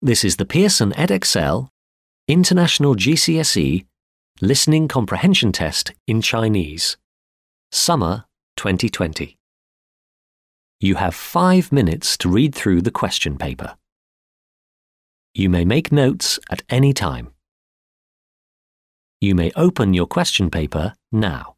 This is the Pearson edXL International GCSE Listening Comprehension Test in Chinese, Summer 2020. You have 5 minutes to read through the question paper. You may make notes at any time. You may open your question paper now.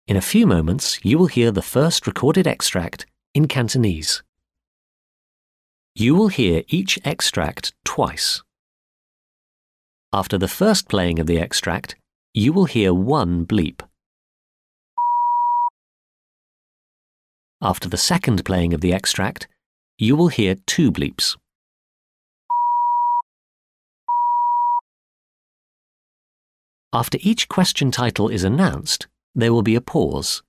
In a few moments, you will hear the first recorded extract in Cantonese. You will hear each extract twice. After the first playing of the extract, you will hear one bleep. After the second playing of the extract, you will hear two bleeps. After each question title is announced, there will be a pause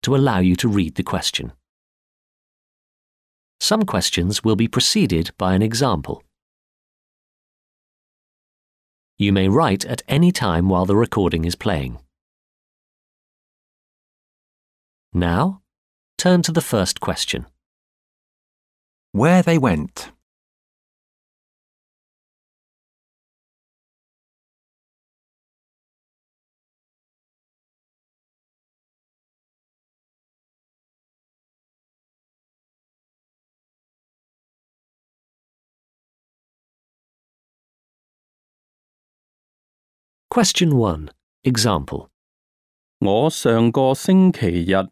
to allow you to read the question. Some questions will be preceded by an example. You may write at any time while the recording is playing. Now, turn to the first question. Where they went. Question 1. Example. 我上個星期日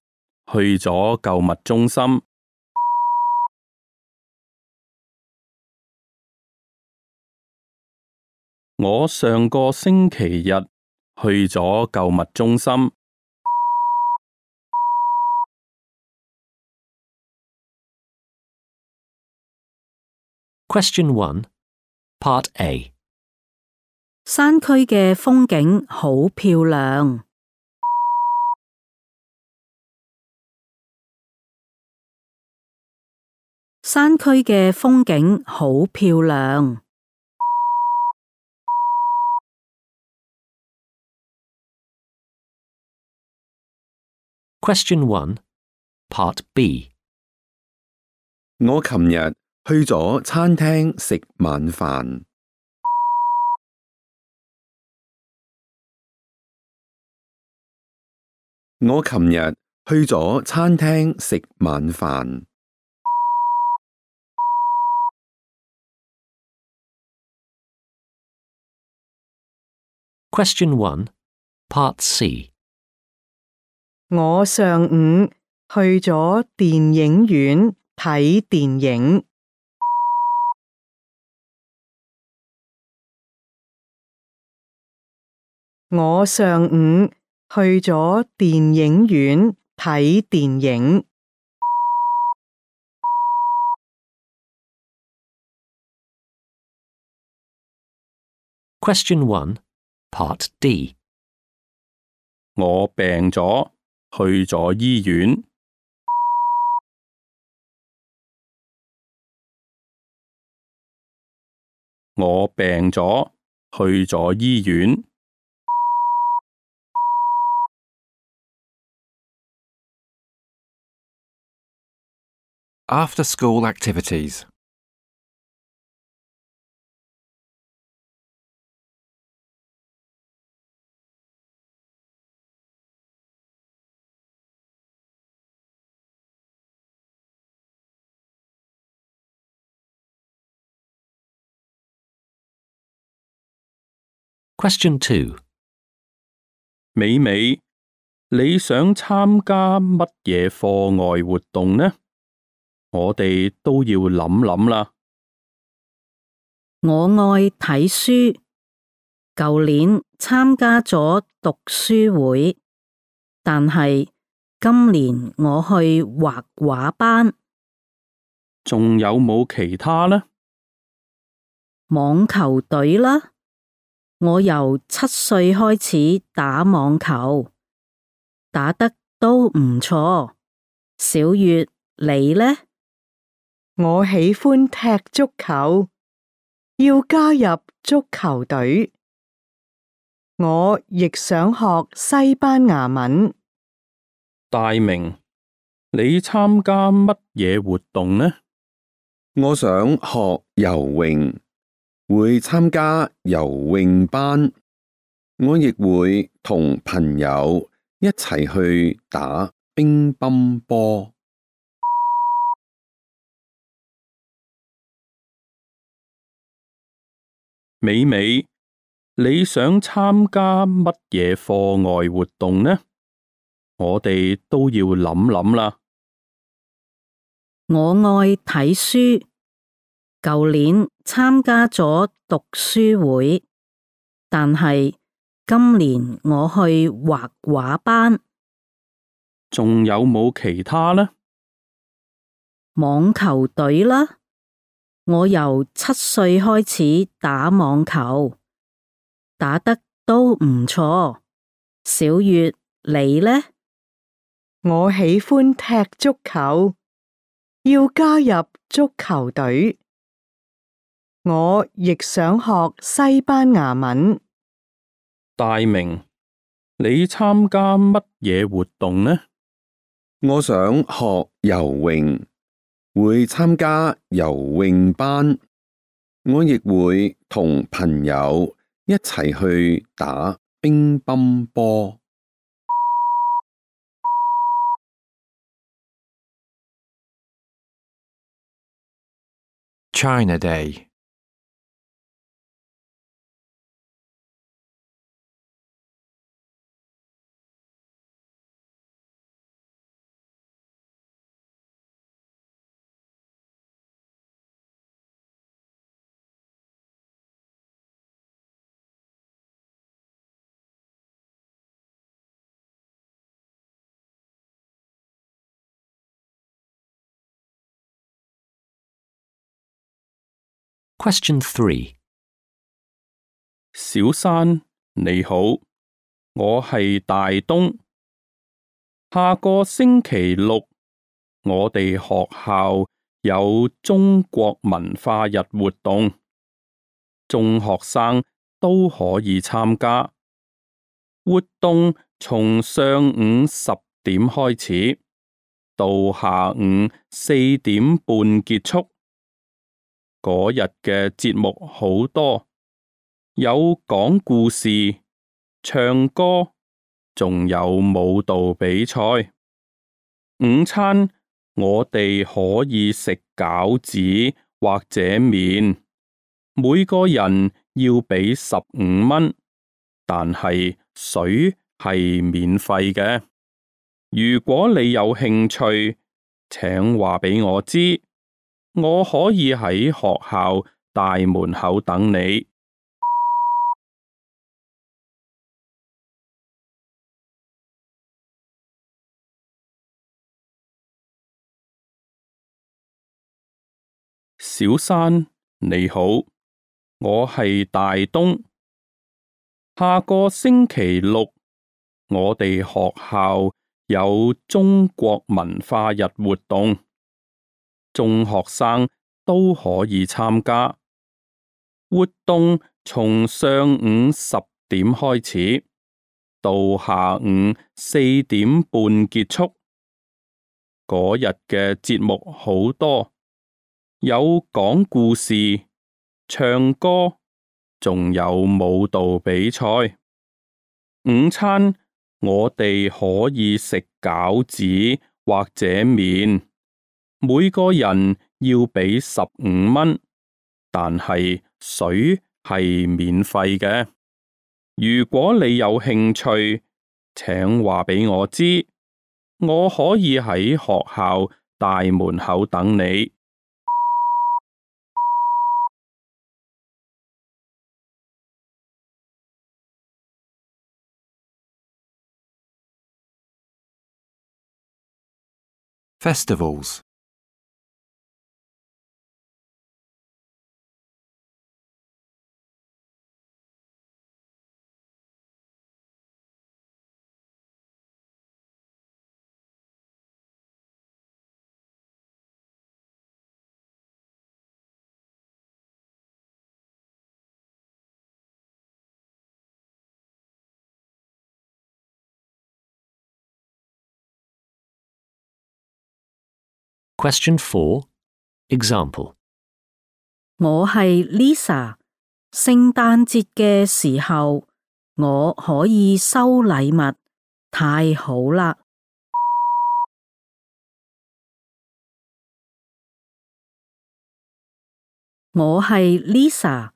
去咗購物中心。我上個星期日去咗購物中心。Question 1. Part A. 山區嘅風景好漂亮。山區嘅風景好漂亮。Question 1. Part B. 我琴日去咗餐廳食晚飯。我琴日去咗餐廳食晚飯。Question 1. Part C. 我上午去咗電影院睇電影。我上午去咗電影院睇電影。Question 1. Part D. 我病咗，去咗醫院。我病咗，去咗醫院。After school activities. Question 2. 美美，你想參加乜嘢課外活動呢？我哋都要諗諗啦。我愛睇書，舊年參加咗讀書會，但係今年我去畫畫班。仲有冇其他呢？網球隊啦，我由7歲開始打網球，打得都唔錯。小月，你呢？我喜歡踢足球，要加入足球隊。我亦想學西班牙文。大明，你參加乜嘢活動呢？我想學游泳，會參加游泳班。我亦會同朋友一齊去打乒乓波。美美，你想參加乜嘢課外活動呢？我哋都要諗諗啦。我愛睇書，舊年參加咗讀書會，但係今年我去畫畫班。仲有冇其他呢？網球隊啦，我由7歲開始打網球，打得都唔錯。小月，你呢？我喜歡踢足球，要加入足球隊。我亦想學西班牙文。大明，你參加乜嘢活動呢？我想學游泳，會參加游泳班。我亦會同朋友一齊去打乒乓波。China Day. Question 3. 小山，你好，我係大東。下個星期六，我哋學校有中國文化日活動，中學生都可以參加。活動從上午10點開始，到下午4點半結束。嗰日嘅節目好多，有講故事、唱歌，仲有舞蹈比賽。午餐我哋可以食餃子或者麵，每個人要俾15蚊，但係水係免費嘅。如果你有興趣，請話俾我知。我可以喺學校大門口等你。小山，你好，我係大東。下個星期六，我哋學校有中國文化日活動。中學生都可以參加。活動從上午10點開始，到下午4點半結束。嗰日嘅節目好多，有講故事、唱歌，仲有舞蹈比賽。午餐我哋可以食餃子或者麵。每個人要俾15蚊，但係水係免費嘅。如果你有興趣，請話俾我知，我可以喺學校大門口等你。Festivals. Question 4. Example. 我係 Lisa， 聖誕節嘅時候，我可以收禮物，太好啦！我係 Lisa，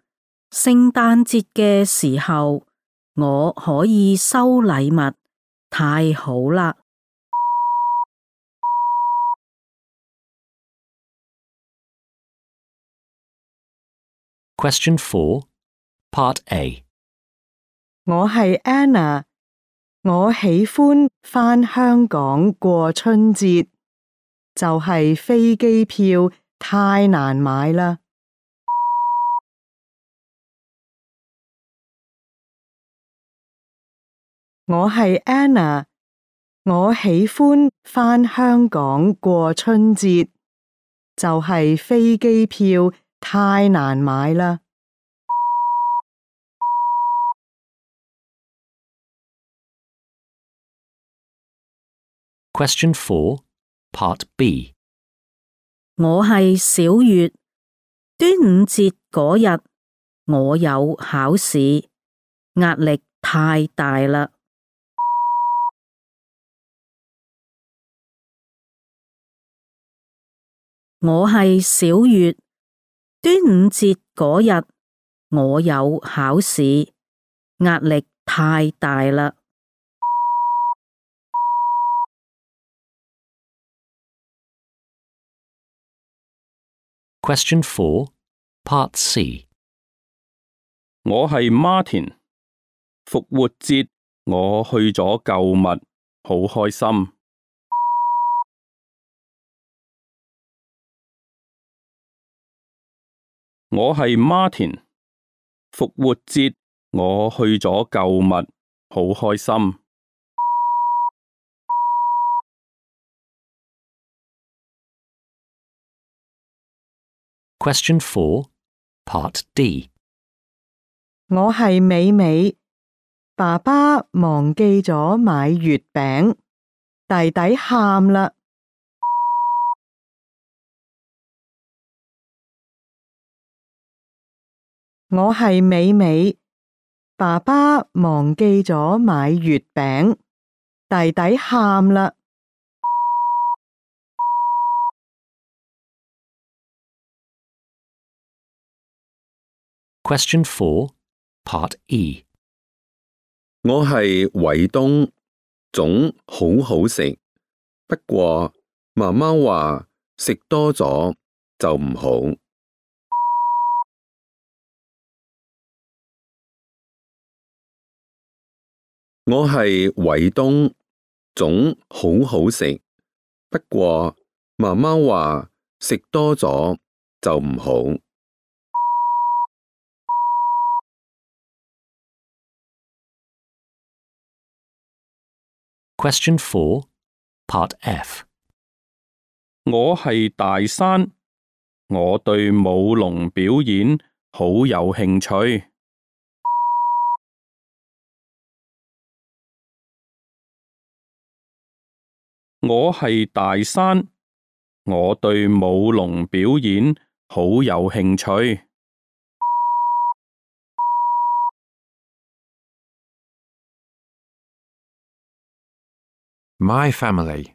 聖誕節嘅時候，我可以收禮物，太好啦！ Question 4, Part A. 我係 Anna， 我喜歡返香港過春節，就係飛機票太難買啦。我係 Anna， 我喜歡返香港過春節，就係飛機票太難買啦。Question 4, Part B. 我係小月，端午節嗰日我有考試，壓力太大啦。我係小月，端午節嗰日我有考試，壓力太大啦。Question 4, Part C. 我係 Martin， 復活節我去咗購物，好開心。我係 Martin， 復活節我去咗購物，好開心。Question 4, Part D. 我係美美，爸爸忘記咗買月餅，弟弟喊啦。我係美美，爸爸忘記咗買月餅，弟弟喊啦。Question 4, Part E. 我係偉東，粽好好食，不過媽媽話食多咗就唔好。我係偉東，粽好好食，不過媽媽話食多咗就唔好。Question 4, Part F. 我係大山，我對舞龍表演好有興趣。我係大山，我對舞龍表演好有興趣。My family.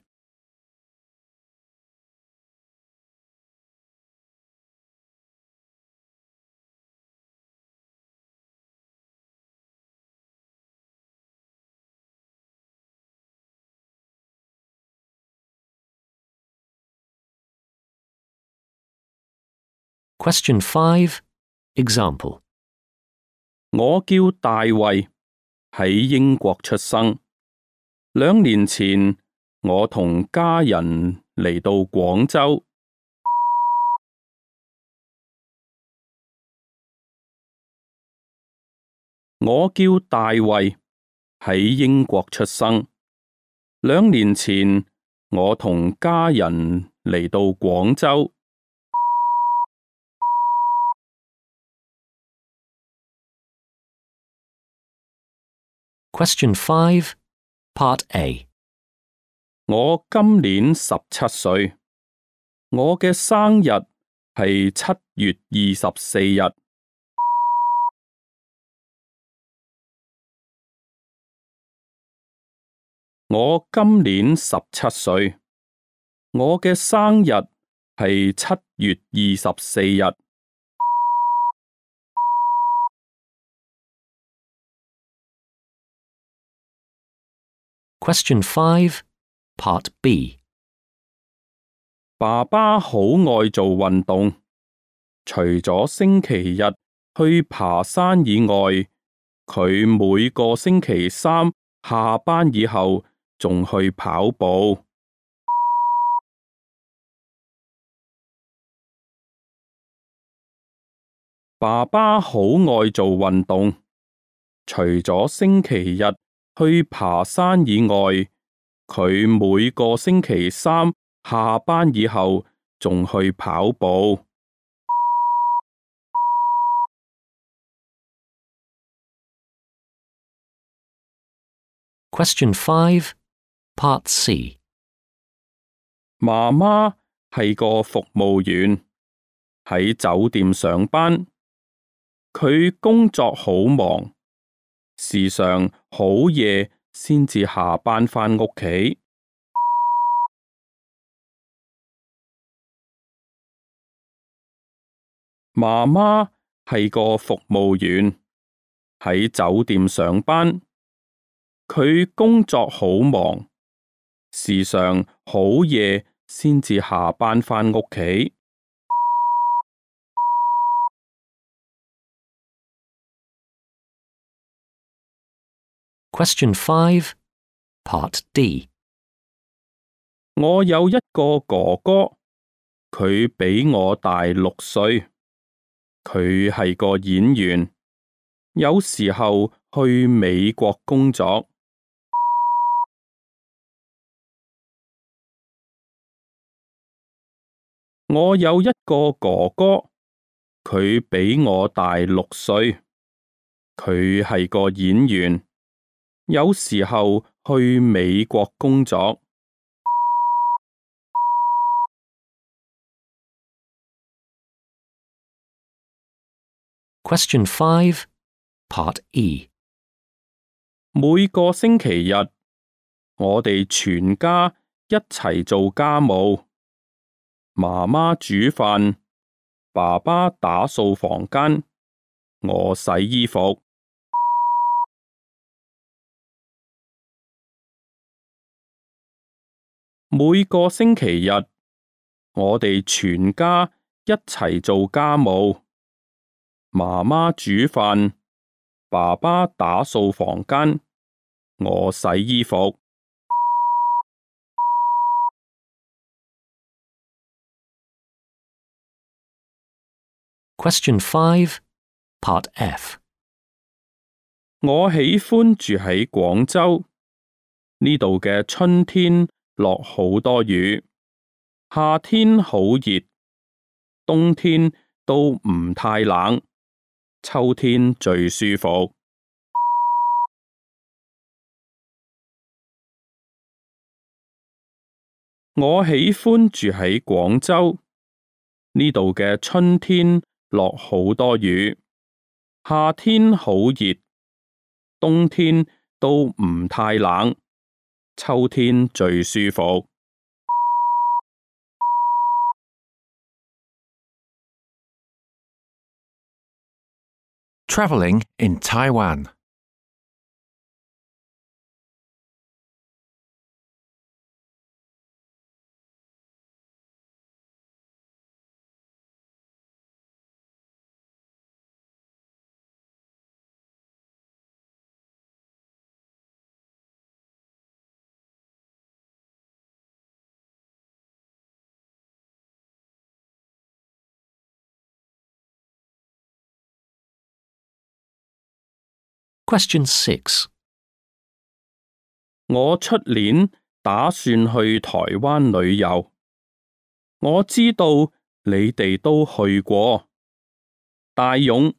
Question 5, Example. 我叫大衛，喺英國出生。2年前，我同家人嚟到廣州。我叫大衛，喺英國出生。2年前，我同家人嚟到廣州。Question 5, Part A. 我今年17歲，我嘅生日係7月24日。我今年17歲，我嘅生日係7月24日。Question 5, Part B. 爸爸好愛做運動，除咗星期日去爬山以外，佢每個星期三下班以後仲去跑步。爸爸好愛做運動，除咗星期日去爬山以外，佢每個星期三下班以後仲去跑步。Question 5, Part C. 媽媽係個服務員，喺酒店上班。佢工作好忙，時常好夜先至下班返屋企。媽媽係個服務員，喺酒店上班。佢工作好忙，時常好夜先至下班返屋企。Question 5, Part D. 我有一個哥哥，佢比我大6歲，佢係個演員，有時候去美國工作。我有一個哥哥，佢比我大6歲，佢係個演員，有時候去美國工作。Question 5, Part E. 每個星期日，我哋全家一齊做家務。媽媽煮飯，爸爸打掃房間，我洗衣服。每個星期日，我哋全家一齊做家務。媽媽煮飯，爸爸打掃房間，我洗衣服。Question 5, Part F. 我喜歡住喺廣州，呢度嘅春天落好多雨，夏天好熱，冬天都唔太冷，秋天最舒服。我喜歡住喺廣州，呢度嘅春天落好多雨，夏天好熱，冬天都唔太冷，秋天最舒服。Traveling in Taiwan. Question 6. 我出年打算去台灣旅遊，我知道你哋都去過。大勇，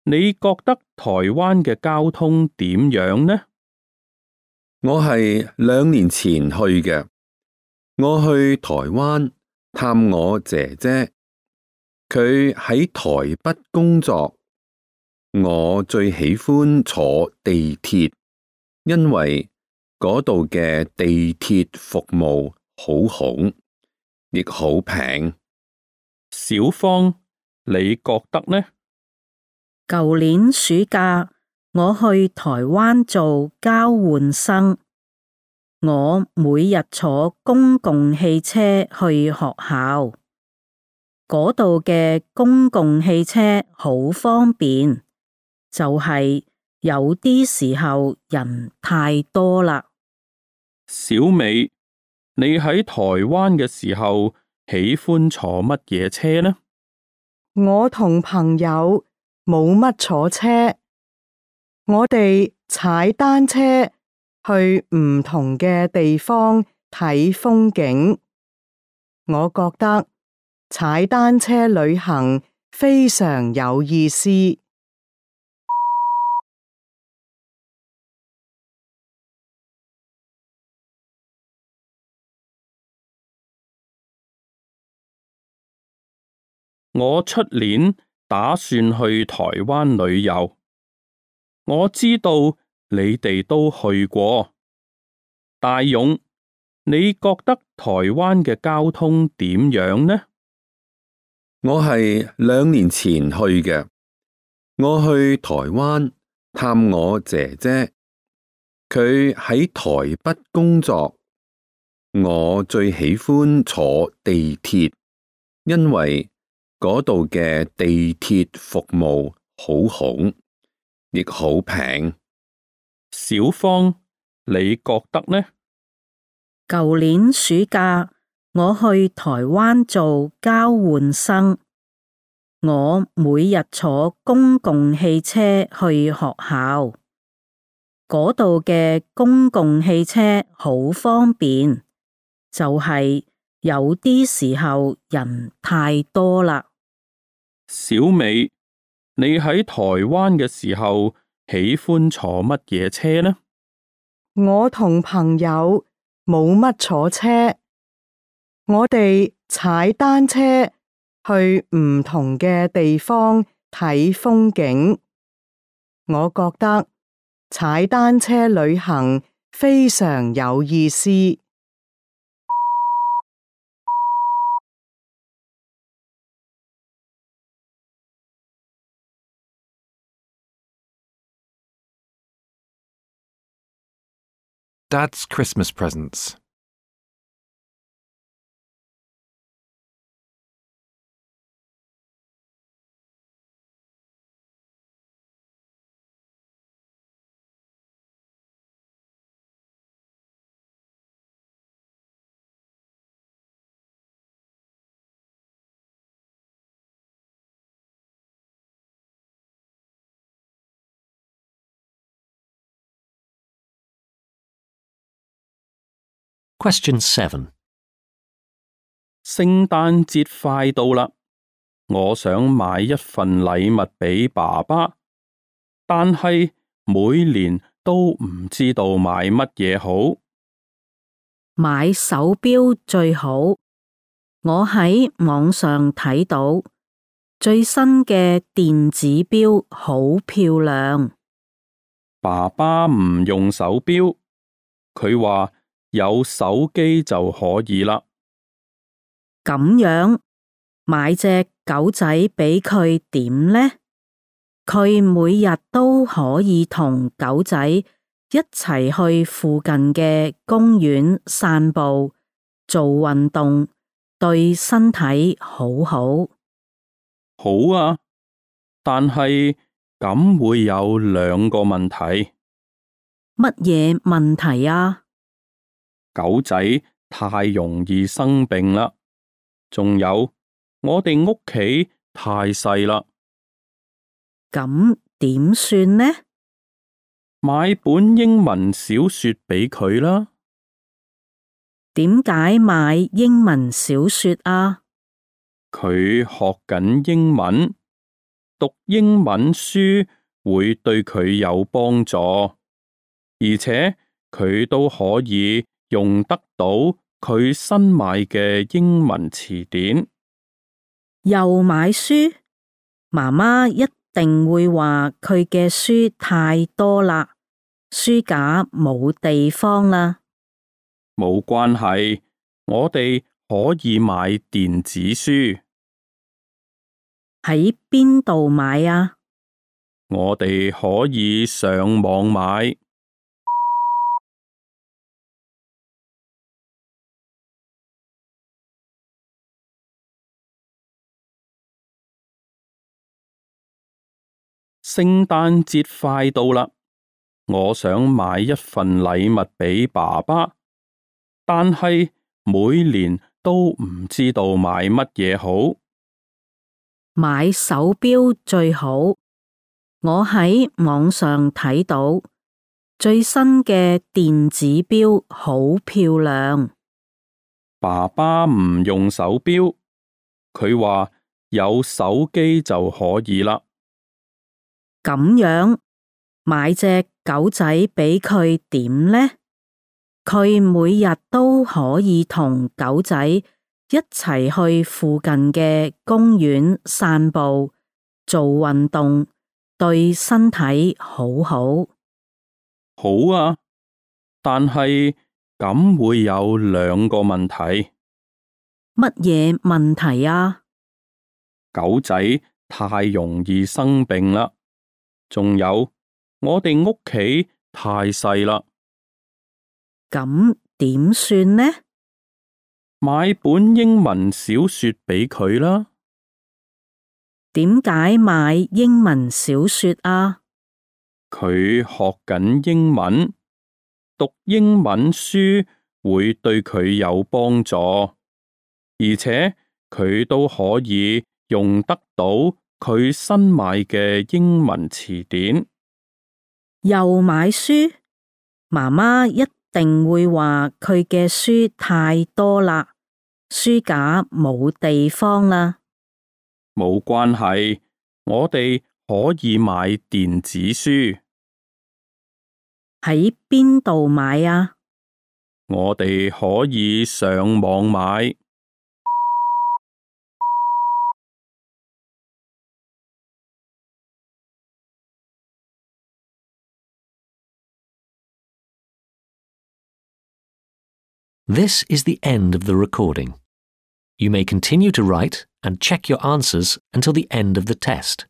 你覺得台灣嘅交通點樣呢？我係2年前去嘅，我去台灣探我姐姐，佢喺台北工作。我最喜歡坐地鐵，因為嗰度嘅地鐵服務好好，亦好平。小芳，你覺得呢？舊年暑假，我去台灣做交換生，我每日坐公共汽車去學校。嗰度嘅公共汽車好方便，就係有啲時候人太多啦。小美，你喺台灣嘅時候喜歡坐乜嘢車呢？我同朋友冇乜坐車，我哋踩單車去唔同嘅地方睇風景。我覺得踩單車旅行非常有意思。我出年打算去台灣旅遊，我知道你哋都去過。大勇，你覺得台灣嘅交通點樣呢？我係2年前去嘅，我去台灣探我姐姐，佢喺台北工作。我最喜歡坐地鐵，因為嗰度嘅地鐵服務好好，亦好平。小芳，你覺得呢？舊年暑假我去台灣做交換生，我每日坐公共汽車去學校，嗰度嘅公共汽車好方便，就係有啲時候人太多啦。小美，你喺台灣嘅時候喜歡坐乜嘢車呢？我同朋友冇乜坐車，我哋踩單車去唔同嘅地方睇風景。我覺得踩單車旅行非常有意思。Dad's Christmas presents. Question 7. 聖誕節快到啦，我想買一份禮物俾爸爸，但係每年都唔知道買乜嘢好。買手錶最好，我喺網上睇到最新嘅電子錶好漂亮。爸爸唔用手錶，佢話有手機就可以啦。咁樣買隻狗仔俾佢點呢？佢每日都可以同狗仔一齊去附近嘅公園散步，做運動，對身體好好。好啊，但係咁會有2個問題。乜嘢問題啊？狗仔太容易生病啦，仲有我哋屋企太細啦。咁點算呢？買本英文小說俾佢啦。點解買英文小說啊？佢學緊英文，讀英文書會對佢有幫助，而且佢都可以用得到佢新買嘅英文詞典。又買書？媽媽一定會話佢嘅書太多啦，書架冇地方啦。冇關係，我哋可以買電子書。喺邊度買啊？我哋可以上網買。聖誕節快到啦，我想買一份禮物俾爸爸，但係每年都唔知道買乜嘢好。買手錶最好。我喺網上睇到最新嘅電子錶好漂亮。爸爸唔用手錶，佢話有手機就可以啦。咁樣買隻狗仔俾佢點呢？佢每日都可以同狗仔一齊去附近嘅公園散步，做運動，對身體好好。好啊，但係咁會有兩個問題。乜嘢問題啊？狗仔太容易生病啦，仲有我哋屋企太細啦。咁點算呢？買本英文小說俾佢啦。點解買英文小說啊？佢學緊英文，讀英文書會對佢有幫助，而且佢都可以用得到佢新買嘅英文詞典。又買書？媽媽一定會話佢嘅書太多啦，書架冇地方啦。冇關係，我哋可以買電子書。喺邊度買啊？我哋可以上網買。This is the end of the recording. You may continue to write and check your answers until the end of the test.